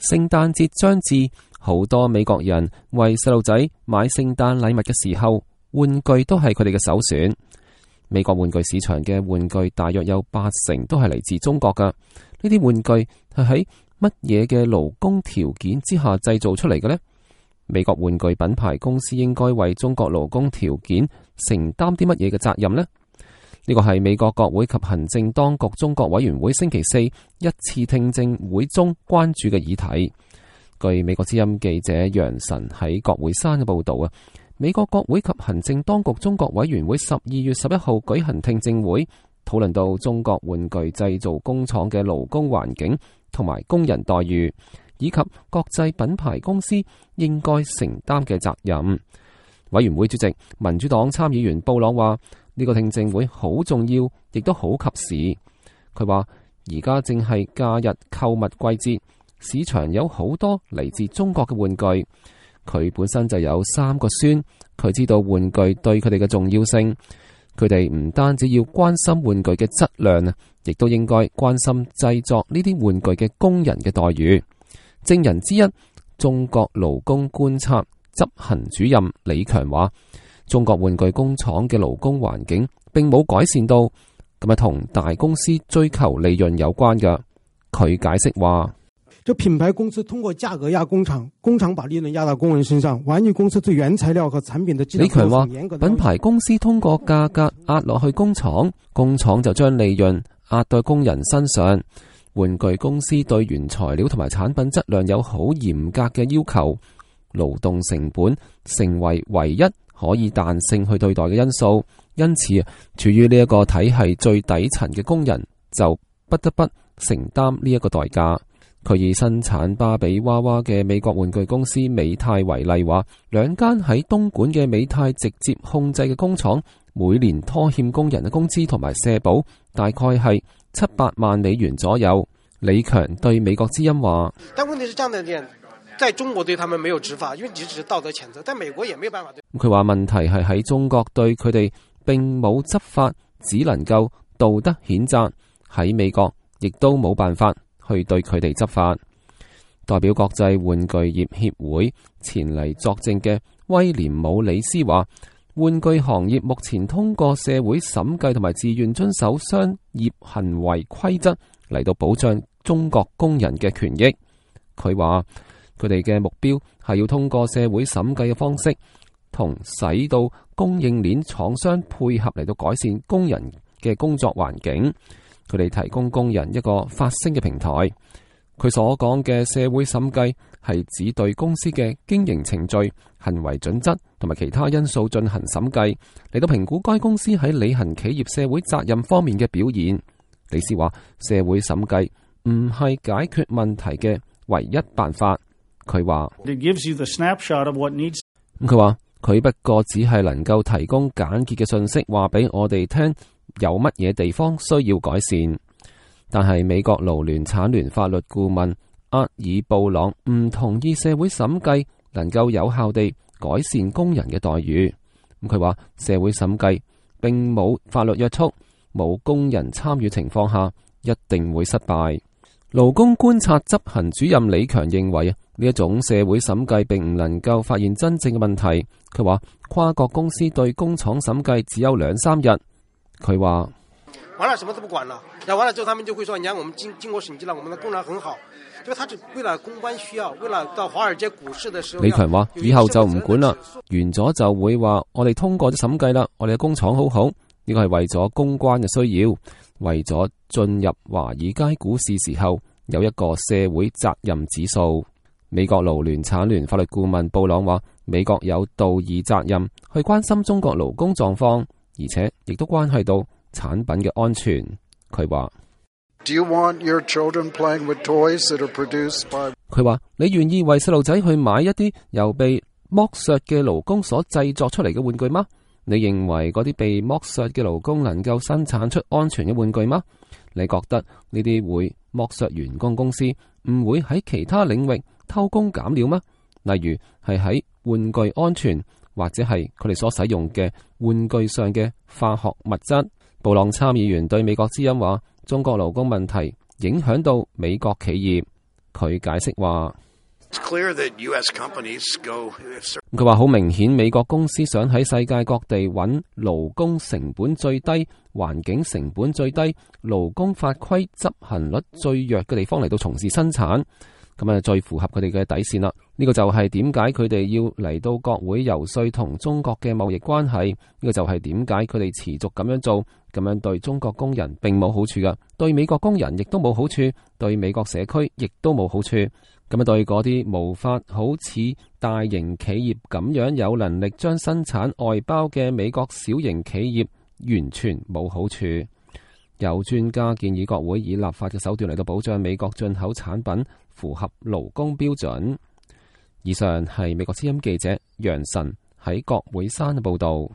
聖誕節將至，好多美國人為細路仔買聖誕禮物嘅時候，玩具都係佢哋嘅首選。美國玩具市場嘅玩具大約有80%都係嚟自中國㗎。呢啲玩具係喺乜嘢嘅勞工條件之下製造出嚟嘅呢？美國玩具品牌公司應該為中國勞工條件承擔啲乜嘢嘅責任呢？呢個係美國國會及行政當局中國委員會星期四一次聽證會中關注嘅議題。據美國之音記者楊晨喺國會山嘅報道啊，美國國會及行政當局中國委員會12月11號舉行聽證會，討論到中國玩具製造工廠嘅勞工環境同埋工人待遇，以及國際品牌公司應該承擔嘅責任。委員會主席民主黨參議員布朗話：呢個聽證會好重要，亦都好及時。佢話而家正係假日購物季節，市場有好多嚟自中國嘅玩具。佢本身就有3個孫，佢知道玩具對佢哋嘅重要性。佢哋唔單止要關心玩具嘅質量啊，亦都應該關心製作呢啲玩具嘅工人嘅待遇。證人之一，中國勞工觀察執行主任李強話：中國玩具工廠嘅勞工環境並冇改善到，咁啊同大公司追求利潤有關嘅。佢解釋話：這品牌公司通過價格壓工廠，工廠把利潤壓到工人身上，玩具公司對原材料和產品的質量。李強話：品牌公司通過價格壓落去工廠，工廠就將利潤壓到工人身上。玩具公司對原材料同埋產品質量有好嚴格嘅要求，勞動成本成為唯一可以彈性去對待嘅因素。因此，處於呢一個體系最底層嘅工人就不得不承擔呢一個代價。佢以生產芭比娃娃嘅美國玩具公司美泰為例，話2間喺東莞嘅美泰直接控制嘅工廠，每年拖欠工人嘅工資同埋社保大概係700萬美元左右。李強對美國之音話：但問題是這樣的點，在中國對他們沒有執法，因為只是道德譴責，但美國也沒有辦法。佢話問題係喺中國對佢哋並冇執法，只能夠道德譴責。喺美國亦都冇辦法去對佢哋執法。代表國際玩具業協會前嚟作證嘅威廉姆里斯話：玩具行業目前通過社會審計同埋自願遵守商業行為規則嚟到保障中國工人嘅權益。佢話佢哋嘅目標係要通過社會審計嘅方式，同使到供應鏈廠商配合嚟到改善工人嘅工作環境。佢哋提供工人一個發聲嘅平台。佢所講嘅社會審計係指對公司嘅經營程序、行為準則同埋其他因素進行審計，嚟到評估該公司喺履行企業社會責任方面嘅表現。李斯話：社會審計唔係解決問題嘅唯一辦法。佢話：佢話佢不過只係能夠提供簡潔嘅信息，話俾我哋聽有乜嘢地方需要改善。但係美國勞聯產聯法律顧問厄爾布朗唔同意社會審計能夠有效地改善工人嘅待遇。佢話社會審計並冇法律約束，冇工人參與情況下一定會失敗。勞工觀察執行主任李強認為呢一種社會審計並唔能夠發現真正嘅問題。佢話跨國公司對工廠審計只有2-3日。佢話完了什麼都不管了，然後完了之後他們就會說，你看我們經過審計了，我們的工人很好，就他是為了公關需要，為了到華爾街股市的時候。李強話以後就唔管啦，完咗就會話我哋通過咗審計啦，我哋嘅工廠好好，呢個係為咗公關嘅需要，為咗進入華爾街股市時候有一個社會責任指數。美國勞聯產聯法律顧問布朗話，美國有道義責任去關心中國勞工狀況，而且亦都關係到產品嘅安全。佢話你願意為細路仔去買一啲由被剝削嘅勞工所製作出嚟嘅玩具嗎？你認為嗰啲被剝削嘅勞工能夠生產出安全嘅玩具嗎？你覺得呢啲會剝削員工公司唔會喺其他領域偷工減料嗎？例如係喺玩具安全，或者係佢哋所使用嘅玩具上嘅化學物質。布朗參議員對美國之音話，中國勞工問題影響到美國企業。佢解釋話，佢話好明顯，美國公司想喺世界各地揾勞工成本最低、環境成本最低、勞工法規執行率最弱嘅地方嚟到從事生產，咁啊最符合佢哋嘅底線啦。呢個就係點解佢哋要嚟到國會游說同中國嘅貿易關係，呢個就係點解佢哋持續咁樣做，咁樣對中國工人並冇好處噶，對美國工人亦都冇好處，對美國社區亦都冇好處。咁啊，對嗰啲無法好似大型企業咁樣有能力將生產外包嘅美國小型企業，完全冇好處。有專家建議國會以立法嘅手段嚟到保障美國進口產品符合勞工標準。以上係美國之音記者楊晨喺國會山嘅報道。